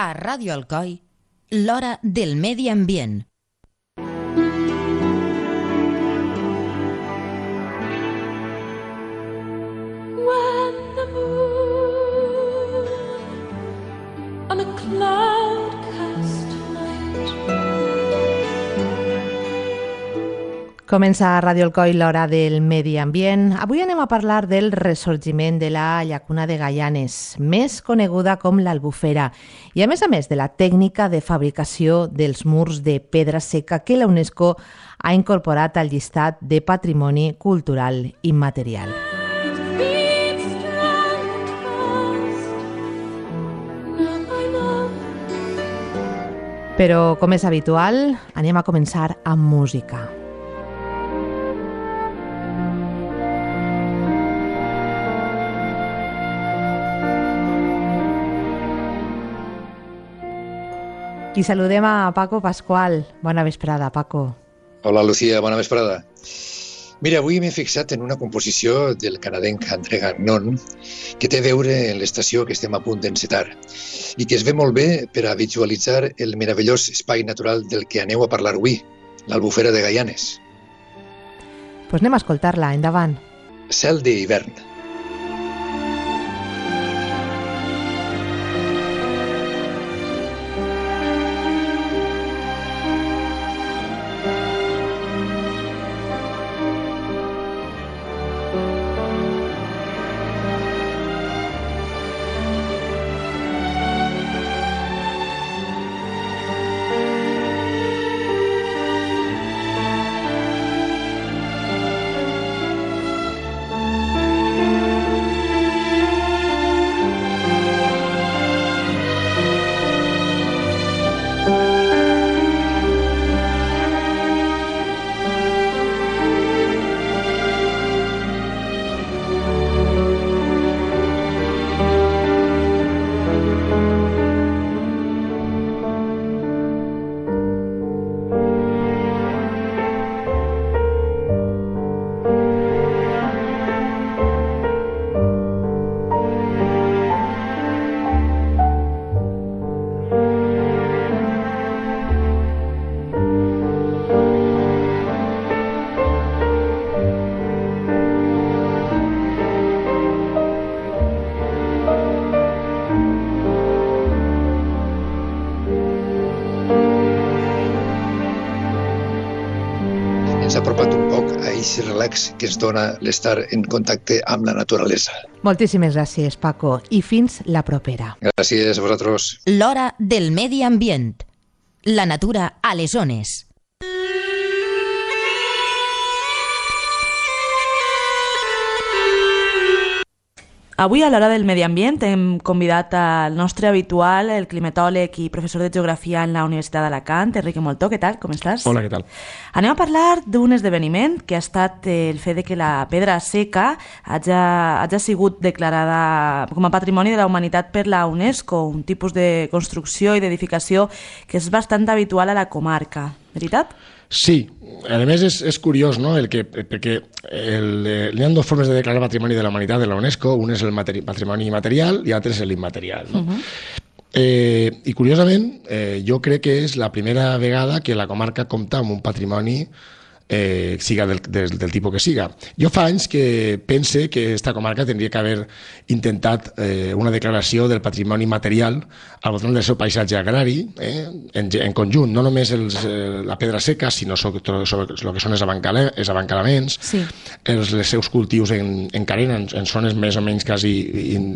A Ràdio Alcoi, l'hora del medi ambient. When the moon on a cloud-cast night. Comença a Ràdio Alcoi l'hora del medi ambient. Avui anem a parlar del ressorgiment de la llacuna de Gaianes, més coneguda com l'Albufera, i a més de la tècnica de fabricació dels murs de pedra seca que la UNESCO ha incorporat al llistat de Patrimoni Cultural Immaterial. Però, com és habitual, anem a començar amb música. I saludem a Paco Pascual. Bona vesprada, Paco. Hola, Lucía, bona vesprada. Mira, avui m'he fixat en una composició del canadenc André Gagnon que té a veure en l'estació que estem a punt d'encetar i que es ve molt bé per a visualitzar el meravellós espai natural del que aneu a parlar avui, l'Albufera de Gaianes. Pues anem a escoltar-la, endavant. Cel d'hivern. Ens ha apropat un poc a aquest relax que ens dona l'estar en contacte amb la naturalesa. Moltíssimes gràcies, Paco, i fins la propera. Gràcies a vosaltres. L'hora del medi ambient. La natura a les ones. Avui a l'hora del medi ambient hem convidat al nostre habitual, el climatòleg i professor de geografia en la Universitat d'Alacant, Enrique Moltó. Què tal? Com estàs? Hola, què tal? Anem a parlar d'un esdeveniment que ha estat el fet de que la pedra seca hagi sigut declarada com a Patrimoni de la Humanitat per la UNESCO, un tipus de construcció i d'edificació que és bastant habitual a la comarca. Veritat? Sí, a més és curiós, no? Perquè hi ha dues formes de declarar Patrimoni de la Humanitat de la UNESCO, un és el patrimoni material i l'altre és l'immaterial. No? I curiosament, jo crec que és la primera vegada que la comarca compta amb un patrimoni siga del tipus que siga. Jo fa anys que pense que aquesta comarca tindria que haver intentat una declaració del patrimoni material al voltant del seu paisatge agrari, en conjunt, no només la pedra seca, sinó sobre el que són els abancalaments, sí. Els seus cultius en carena, en zones més o menys quasi,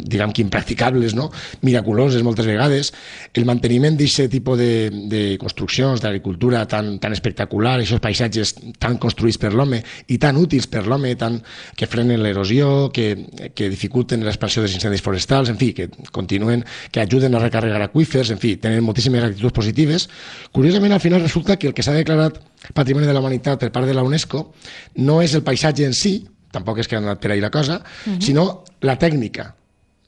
diguem que impracticables, no? Miraculoses moltes vegades, el manteniment d'aquest tipus de construccions, d'agricultura tan espectacular, aquests paisatges tan construïts per l'home i tan útils per l'home, que frenen l'erosió, que dificulten l'expansió dels incendis forestals, en fi, que continuen, que ajuden a recarregar aqüífers, en fi, tenen moltíssimes actituds positives. Curiosament, al final resulta que el que s'ha declarat Patrimoni de la Humanitat per part de la UNESCO no és el paisatge en si, tampoc és que ha anat per ahí la cosa, sinó la tècnica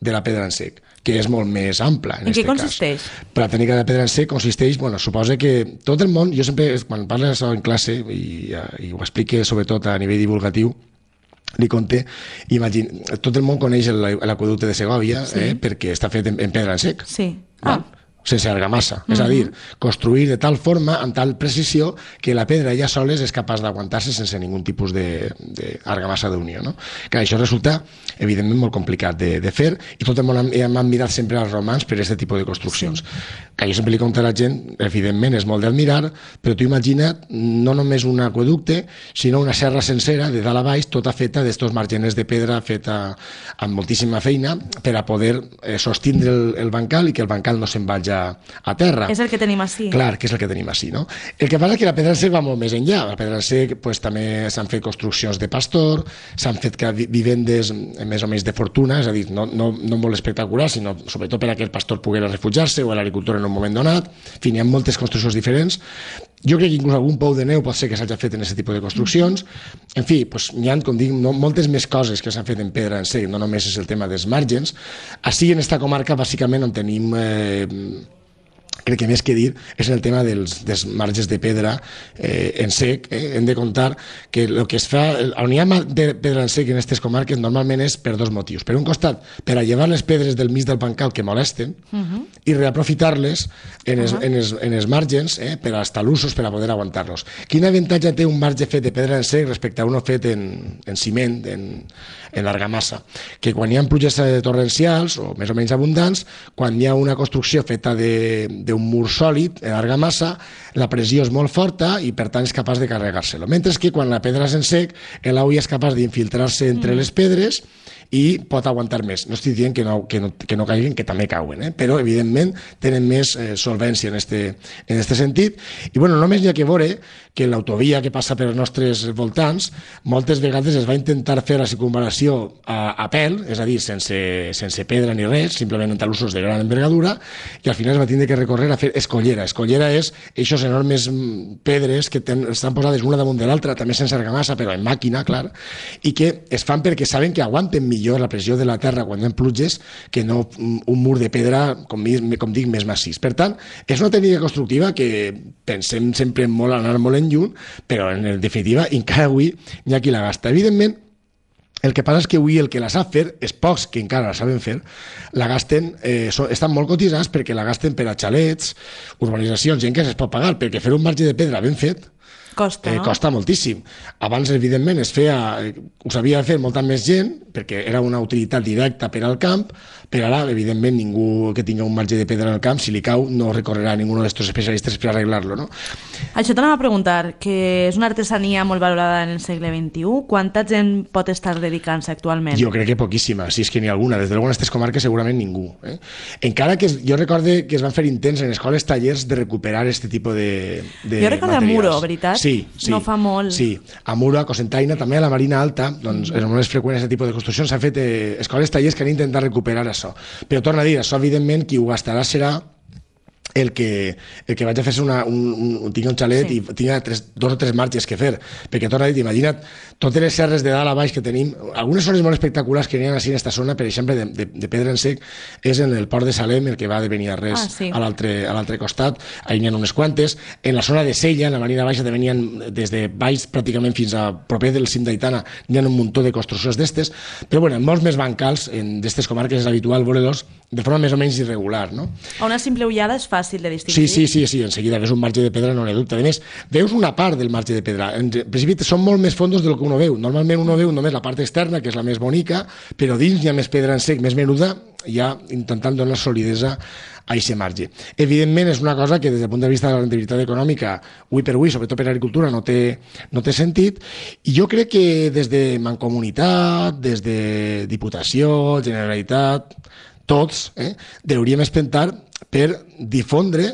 de la pedra en sec, que és molt més ampla. En què consisteix? La tècnica de la pedra en sec consisteix, suposa que tot el món, jo sempre, quan parlo d'això en classe, i ho explique sobretot a nivell divulgatiu, li conté, tot el món coneix l'aqüeducte de Segòvia, perquè està fet en pedra en sec. Sí. O sense argamassa. És a dir, construir de tal forma, amb tal precisió, que la pedra ja soles és capaç d'aguantar-se sense ningun tipus d'argamassa d'unió. No? Que això resulta, evidentment, molt complicat de fer, i tot el món hem admirat sempre als romans per aquest tipus de construccions. Que jo sempre li conto a la gent, evidentment, és molt d'admirar, però tu imagina't no només un aqüeducte, sinó una serra sencera, de dalt a baix, tota feta d'estos margeners de pedra, feta amb moltíssima feina, per a poder sostindre el bancal i que el bancal no se'n vagi a terra. És el que tenim així. Clar, que és el que tenim així, no? El que passa és que la pedra en sec va molt més enllà. La pedra en sec pues, també s'han fet construccions de pastor, s'han fet vivendes més o menys de fortuna, és a dir, no molt espectaculars, sinó sobretot per a que el pastor poguera refugiar-se o l'agricultor en un moment donat. En fi, hi ha moltes construccions diferents. Jo crec que inclús algun pou de neu pot ser que s'hagi fet en aquest tipus de construccions. En fi, pues, hi ha, com dic, moltes més coses que s'han fet en pedra en sec, no només és el tema dels margens. Així, en esta comarca, bàsicament, on tenim... crec que més que dir és el tema dels marges de pedra en sec. Hem de comptar que el que es fa, on hi ha de pedra en sec en aquestes comarques normalment és per dos motius. Per un costat, per a llevar les pedres del mig del bancal que molesten i reaprofitar-les en els margens per als talussos, per a poder aguantar-los. Quin avantatge té un marge fet de pedra en sec respecte a uno fet en ciment, en argamassa? Que quan hi ha pluges torrencials o més o menys abundants, quan hi ha una construcció feta d'un mur sòlid, en argamassa, la pressió és molt forta i per tant és capaç de carregar-se-lo. Mentre que quan la pedra és en sec, l'aigua és capaç d'infiltrar-se entre les pedres i pot aguantar més. No estic dient que no caiguin, que també cauen, però evidentment tenen més solvència en este sentit. I bueno, només hi ha que veure que l'autovia que passa pels nostres voltants moltes vegades es va intentar fer la circunvalació a pèl, és a dir, sense pedra ni res, simplement en talussos de gran envergadura, i al final es va tindre que recórrer a fer escollera. Escollera és aquestes enormes pedres que estan posades una damunt de l'altra, també sense argamassa, però en màquina, clar, i que es fan perquè saben que aguanten millor la pressió de la terra quan hi ha pluges que no un mur de pedra, com dic, més massís. Per tant, és una tècnica constructiva que pensem sempre molt anar molt en lluny, però en definitiva encara avui hi ha qui la gasta. Evidentment, el que passa és que avui el que la sap fer, és pocs que encara la saben fer, la gasten, estan molt cotitzats perquè la gasten per a xalets, urbanitzacions, gent que es pot pagar, perquè fer un marge de pedra ben fet costa, no? Costa moltíssim. Abans, evidentment, ho sabia fer molta més gent, perquè era una utilitat directa per al camp, però ara, evidentment, ningú que tingui un marge de pedra al camp, si li cau, no recorrerà a ningun d'aquests especialistes per arreglar-lo, no? Això t'anava a preguntar, que és una artesania molt valorada en el segle XXI. Quanta gent pot estar dedicant-se actualment? Jo crec que poquíssima, si és que n'hi ha alguna. Des de luego en aquestes comarques segurament ningú. Encara que jo recorde que es van fer intents en escoles, tallers de recuperar aquest tipus de jo recordo materials. a Muro, veritat? Sí. No fa molt. Sí, a Muro, a Cocentaina, també a la Marina Alta, doncs és molt freqüent aquest tipus de construccions. S'han fet escoles, tallers que han intentat recuperar això. Però torna a dir, això evidentment qui ho gastarà serà el que vaig a fer tingui un xalet i tingui 2 o 3 marges que fer, perquè torna a dir, imagina't totes les serres de dalt a baix que tenim, algunes zones molt espectaculars que n'hi ha així en aquesta zona, per exemple de pedra en sec, és en el port de Salem, el que va de Beniarrés a l'altre costat, ahí n'hi ha unes quantes, en la zona de Sella, en la Marina Baixa també n'hi ha des de baix pràcticament fins a proper del cim d'Aitana, n'hi ha un muntó de construccions d'estes, però bueno, en molts més bancals d'estes comarques és habitual veure-los de forma més o menys irregular, no? A una simple ullada és fàcil de distingir. Sí, en seguida veus un marge de pedra, no n'hi ha dubte. A més, veus una part del marge de pedra. En principi són molt més fondos del que uno veu. Normalment uno veu només la part externa, que és la més bonica, però dins hi ha més pedra en sec, més menuda, ja intentant donar solidesa a aquest marge. Evidentment és una cosa que des del punt de vista de la rendibilitat econòmica, avui per avui, sobretot per l'agricultura, no té sentit, i jo crec que des de Mancomunitat, des de Diputació, Generalitat, tots hauríem espentar per difondre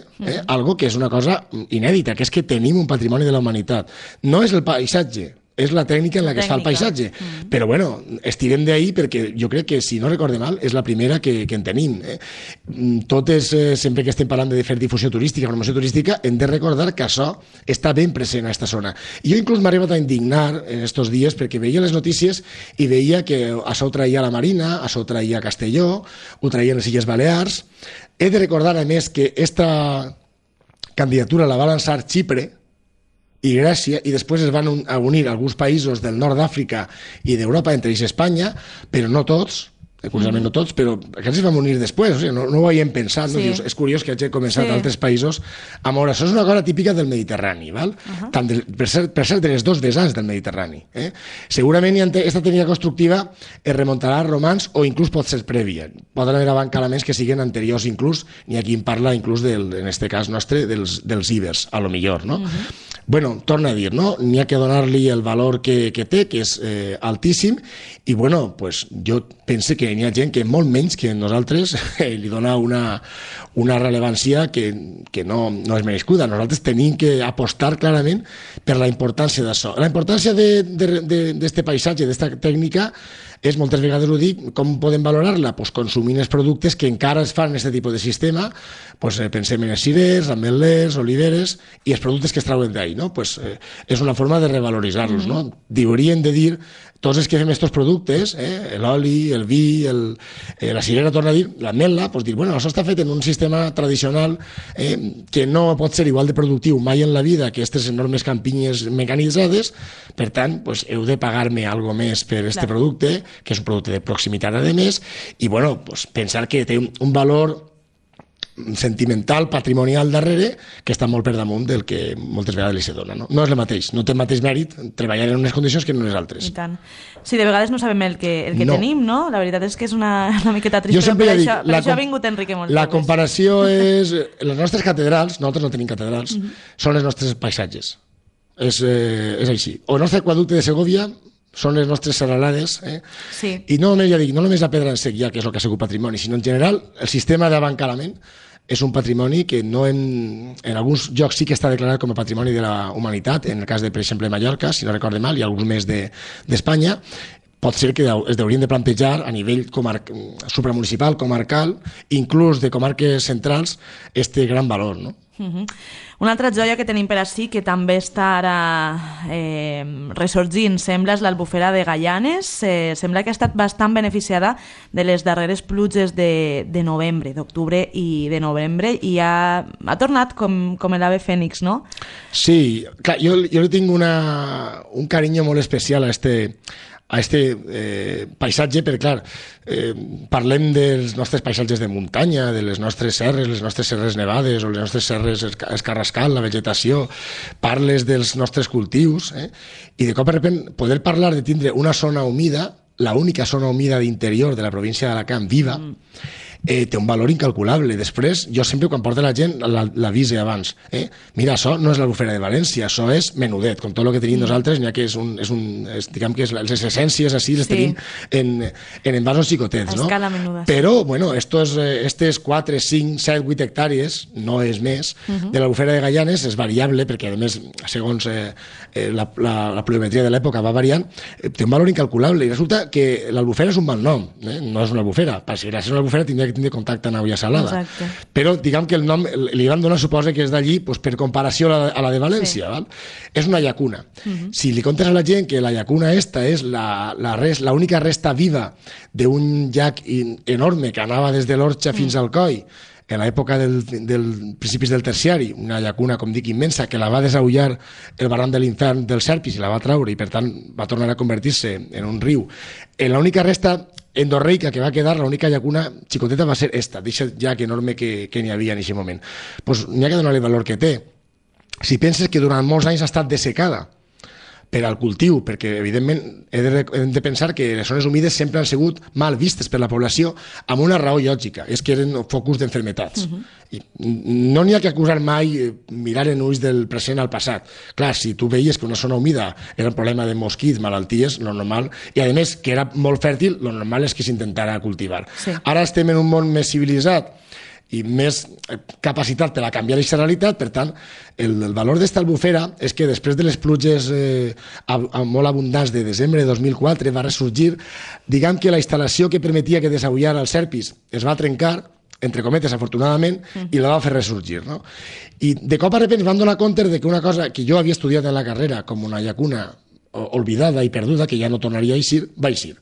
algo que és una cosa inèdita, que és que tenim un patrimoni de la humanitat. No és el paisatge, és la tècnica en la que es fa el paisatge. Però bueno, estirem d'ahir perquè jo crec que, si no recorde mal, és la primera que en tenim. Totes, sempre que estem parlant de fer difusió turística, promoció turística, hem de recordar que això està ben present a aquesta zona. I jo inclús m'he arribat a indignar en aquests dies perquè veia les notícies i veia que això ho traia la Marina, això ho traia Castelló, ho traien les Illes Balears. He de recordar, a més, que aquesta candidatura la va lançar Xipre i Grècia, i després es van unir alguns països del nord d'Àfrica i d'Europa, entre ells Espanya, però no tots, curiosament no tots, però aquests es van unir després, o sigui, no ho havíem pensat, no? Sí. Dius, és curiós que hagi començat Sí. a altres països a moure. Això és una cosa típica del Mediterrani, val? Tant per ser de les dos vessants del Mediterrani. Segurament aquesta tècnica constructiva es remuntarà a romans o inclús pot ser prèvia. Poden haver abancalaments que siguin anteriors inclús, n'hi ha qui en parla inclús, en este cas nostre, dels íbers, a lo millor, no? Bueno, torna a dir, no? N'hi ha que donar-li el valor que té, que és altíssim, i bueno, pues, jo pense que n'hi ha gent que molt menys que nosaltres li dona una rellevància que no és merescuda. Nosaltres tenim que apostar clarament per la importància d'això. La importància d'este paisatge, d'esta tècnica, és, moltes vegades ho dic, com podem valorar-la? Pues consumint els productes que encara es fan en aquest tipus de sistema, pues, pensem en els cirers, ametlers, oliveres, i els productes que es trauen d'ahí, no? Pues, és una forma de revaloritzar-los, no? Haurien de dir, tots els que fem aquests productes, l'oli, el vi, la cirera, torna a dir, l'ametla, pues dir, bueno, això està fet en un sistema tradicional que no pot ser igual de productiu mai en la vida que aquestes enormes campinyes mecanitzades, per tant, pues, heu de pagar-me algo més per aquest producte, que és un producte de proximitat a més, i bueno, pues, pensar que té un valor sentimental, patrimonial darrere, que està molt per damunt del que moltes vegades li se dona. No és el mateix, no té el mateix mèrit treballar en unes condicions que en unes altres. I tant. Sí, de vegades no sabem el que No. tenim, no? La veritat és que és una miqueta trist, Jo però sempre per dic, això ha vingut Enrique Montalbes. la comparació és... Les nostres catedrals, nosaltres no tenim catedrals, són els nostres paisatges. És així. O el nostre aquaducte de Segovia són les nostres serralades, Sí. i no només, ja dic, no només la pedra en sec, ja que és el que ha sigut patrimoni, sinó en general el sistema d'abancalament és un patrimoni que no en alguns llocs sí que està declarat com a patrimoni de la humanitat, en el cas de, per exemple, Mallorca, si no recorde mal, i alguns més d'Espanya. Pot ser que es haurien de plantejar a nivell supramunicipal, comarcal, inclús de comarques centrals, este gran valor, no? Una altra joia que tenim per ací, que també està ara ressorgint, sembla, és l'Albufera de Gaianes. Sembla que ha estat bastant beneficiada de les darreres pluges de novembre, d'octubre i de novembre, i ha tornat com l'ave fènix, no? Sí, clar, jo li tinc un carinyo molt especial a este paisatge, perquè clar, parlem dels nostres paisatges de muntanya, de les nostres serres nevades o les nostres serres escarrascant, la vegetació, parles dels nostres cultius, i de cop de repente poder parlar de tindre una zona humida, la única zona humida d'interior de la província d'Alacant viva, té un valor incalculable. Després, jo sempre quan porto la gent l'avise abans. Mira, això no és l'Albufera de València, això és menudet, com tot el que tenim nosaltres, n'hi ha que diguem que les essències així les tenim en envasos xicotets, no? A escala menuda. Però, bueno, estes 4, 5, 7, 8 hectàrees, no és més, de l'Albufera de Gaianes és variable, perquè a més, segons la pluviometria de l'època va variant, té un valor incalculable, i resulta que l'Albufera és un mal nom, no és una albufera. Si gràcies a una albufera tindria que tindre contacte amb aigua salada. Exacte. Però diguem que el nom li van donar, suposa que és d'allí, pues, per comparació a la de València. Val? És una llacuna. Si li contes a la gent que la llacuna esta és l'única resta viva d'un llac enorme que anava des de l'Orxa fins al Coi, en l'època del principis del terciari, una llacuna, com dic, immensa, que la va desaullar el barranc de l'Infern del Serpis i la va traure, i per tant va tornar a convertir-se en un riu. L'única resta endorreica que va quedar, l'única llacuna xicoteta va ser esta, d'aquest llac enorme que n'hi havia en aquest moment. Pues n'hi ha que donar-li el valor que té. Si penses que durant molts anys ha estat dessecada per al cultiu, perquè evidentment hem de pensar que les zones humides sempre han sigut mal vistes per la població amb una raó lògica, és que eren focus d'enfermetats. I no n'hi ha que acusar mai mirar en ulls del present al passat. Clar, si tu veies que una zona humida era un problema de mosquits, malalties, lo normal, i a més que era molt fèrtil, lo normal és que s'intentara cultivar. Sí. Ara estem en un món més civilitzat i més capacitat per a canviar aquesta realitat, per tant, el valor d'esta albufera és que després de les pluges molt abundants de desembre de 2004 va ressorgir, diguem que la instal·lació que permetia que desaullara el Serpis es va trencar, entre cometes, afortunadament, i la va fer ressorgir, no? I de cop a repente van donar compte de que una cosa que jo havia estudiat en la carrera com una llacuna olvidada i perduda, que ja no tornaria a eixir, va eixir.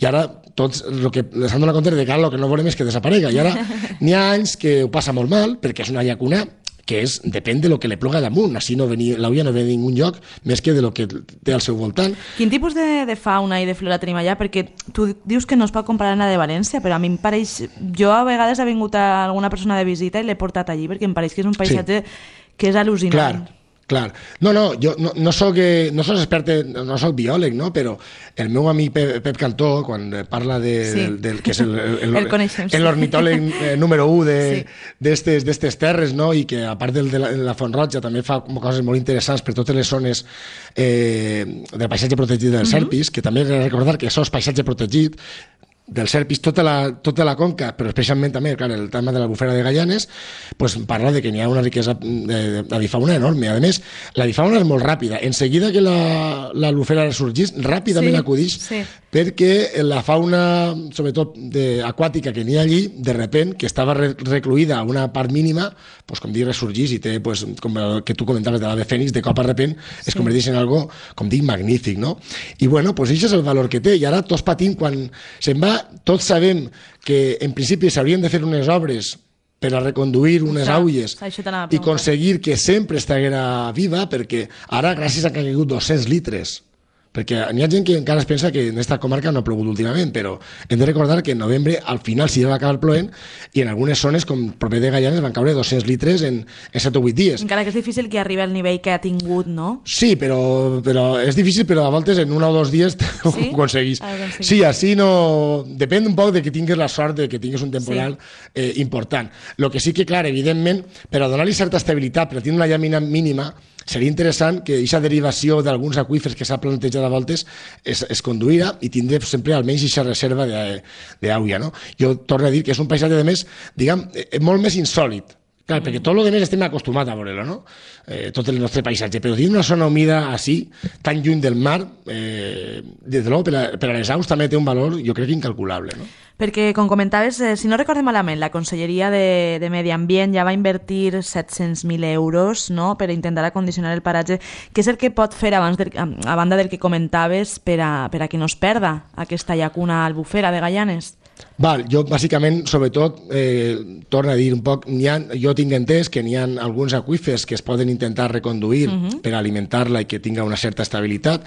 I ara tots el que s'han donat compte de que el que no volem és que desaparega. I ara n'hi ha anys que ho passa molt mal, perquè és una llacuna que depèn de lo que li ploga damunt, així l'auia no ve a ningun lloc més que de lo que té al seu voltant. Quin tipus de fauna i de flora tenim allà? Perquè tu dius que no es pot comparar amb la de València, però a mi em pareix... Jo a vegades ha vingut alguna persona de visita i l'he portat allí perquè em pareix que és un paisatge que és al·lucinant. Clar. No, jo no soc expert, no soc biòleg, no? Però el meu amic Pep Cantó, quan parla del que és l'ornitòleg número 1 d'estes terres, no? I que a part de la Font Roja també fa coses molt interessants per totes les zones del paisatge protegit del Serpis, que també he de recordar que això és paisatge protegit del Serpis, tota la conca, però especialment també, clar, el tema de l'Albufera de Gaianes, pues parla de que n'hi ha una riquesa d'avifauna enorme. A més, l'avifauna és molt ràpida. En seguida que l'Albufera ressorgís, ràpidament acudix, perquè la fauna, sobretot aquàtica que n'hi ha allí, de repent, que estava recluïda a una part mínima, pues, com dic, ressorgís i té, pues, com el que tu comentaves de l'ave fènix, de cop a repent es converteix en algo, com dic, magnífic, no? I bueno, pues això és el valor que té. I ara tots patim quan se'n va. Tots sabem que en principi s'haurien de fer unes obres per a reconduir unes aulles i aconseguir que sempre estiguera viva, perquè ara gràcies a que han caigut 200 litres, perquè n'hi ha gent que encara es pensa que en aquesta comarca no ha plogut últimament, però hem de recordar que en novembre al final sí va acabar plovent i en algunes zones com proper de Gaianes van caure 200 litres en 7 o 8 dies. Encara que és difícil que arribi al nivell que ha tingut, no? Sí, però és difícil, però a voltes en 1 o 2 dies ho aconseguís. Sí, així no... Depèn un poc de que tinguis la sort de que tinguis un temporal important. El que sí que, clar, evidentment, per a donar-li certa estabilitat, per a tenir una llàmina mínima, seria interessant que aquesta derivació d'alguns aqüífers que s'ha plantejat a voltes es conduïra i tindre sempre almenys aquesta reserva d'aigua, no? Jo torno a dir que és un paisatge, a més, diguem, molt més insòlid. Clar, perquè tot el que més estem acostumats a veure-lo, no? Tot el nostre paisatge, però tenir una zona humida així, tan lluny del mar, des de l'ou, per a les aus també té un valor, jo crec, incalculable, no? Perquè, com comentaves, si no recorde malament, la Conselleria de Medi Ambient ja va invertir 700.000 euros, no?, per intentar acondicionar el paratge. Què és el que pot fer, a banda del que comentaves, per a que no es perda aquesta llacuna albufera de Gaianes? Jo, bàsicament, sobretot, torno a dir un poc, jo tinc entès que n'hi ha alguns aqüífers que es poden intentar reconduir per alimentar-la i que tinga una certa estabilitat.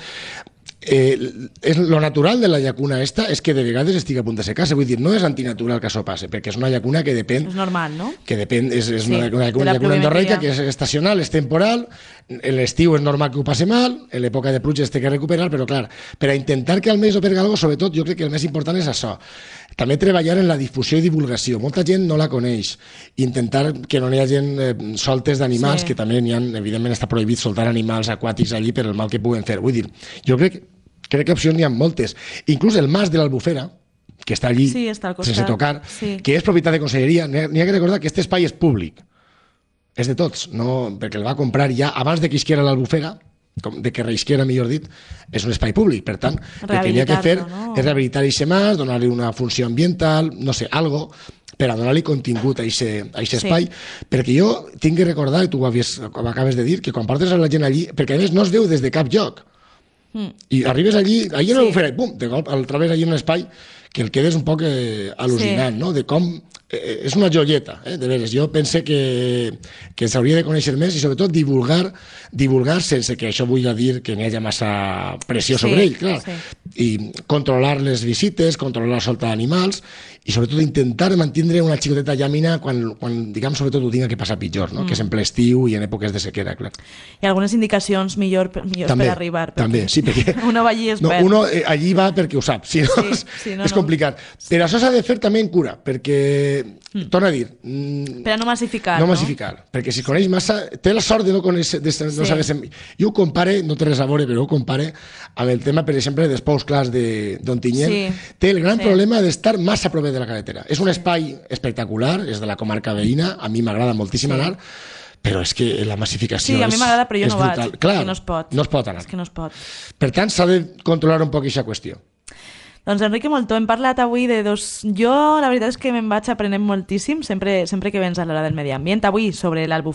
Lo natural de la llacuna esta és que de vegades estigui a punt de secar-se, vull dir, no és antinatural que això passe, perquè és una llacuna que depèn... És normal, no? Que depèn, és una llacuna endorreica que és estacional, és temporal, en l'estiu és normal que ho passe mal, en l'època de pluja es té que recuperar, però clar, per a intentar que almenys ho perga alguna cosa, sobretot jo crec que el més important és això. També treballar en la difusió i divulgació. Molta gent no la coneix. Intentar que no hi ha gent soltes d'animals, que també n'hi ha, evidentment està prohibit soltar animals aquàtics allí per el mal que puguen fer. Vull dir, jo crec que opcions n'hi ha moltes. Inclús el mas de l'Albufera, que està allí, sense tocar, que és propietat de conselleria, n'hi ha que recordar que aquest espai és públic. És de tots, no, perquè el va comprar ja abans de que isquiera l'Albufera, de que reisquera, millor dit, és un espai públic. Per tant, el que n'hi ha que fer és rehabilitar aquest mas, donar-li una funció ambiental, no sé, algo, per a donar-li contingut a aquest espai, perquè jo tinc que recordar, i tu ho acabes de dir, que quan portes a la gent allí, perquè a més no es veu des de cap lloc, i arribes allí en l'Albufera, i pum, de cop el trobes allí en un espai que el quedes un poc al·lucinant, no?, de com és una joieta, de veres. Jo pense que s'hauria de conèixer més i sobretot divulgar sense que això vull dir que n'hi hagi massa pressió sobre ell, clar. I controlar les visites, controlar la solta d'animals i sobretot intentar mantenir una xicoteta llàmina quan diguem, sobretot ho tinga que passar pitjor, no? Que és en ple estiu i en èpoques de sequera, clar. I algunes indicacions millors per arribar. També, sí, perquè... Uno va allí i es perd. Uno allí va perquè ho sap, si no és complicat. Però això s'ha de fer també en cura, perquè, torno a dir... Per a no massificar, no? No massificar, perquè si coneix massa... Té la sort de no conèixer... Jo ho compare, no té res a veure, però ho compare amb el tema, per exemple, dels pous clars d'Ontinyent. Té el gran problema d'estar massa a prop de la carretera. És un espai espectacular, és de la comarca veïna, a mi m'agrada moltíssim anar, però és que la massificació és brutal. Sí, a mi m'agrada, però jo no vaig. Clar, no es pot. No es pot anar. És que no es pot. Per tant, s'ha de controlar un poc aquesta qüestió. Doncs Enrique Moltó, hem parlat avui de dos... Jo la veritat és que me'n vaig aprenent moltíssim, sempre que vens a l'hora del medi ambient. Avui sobre l'Albufera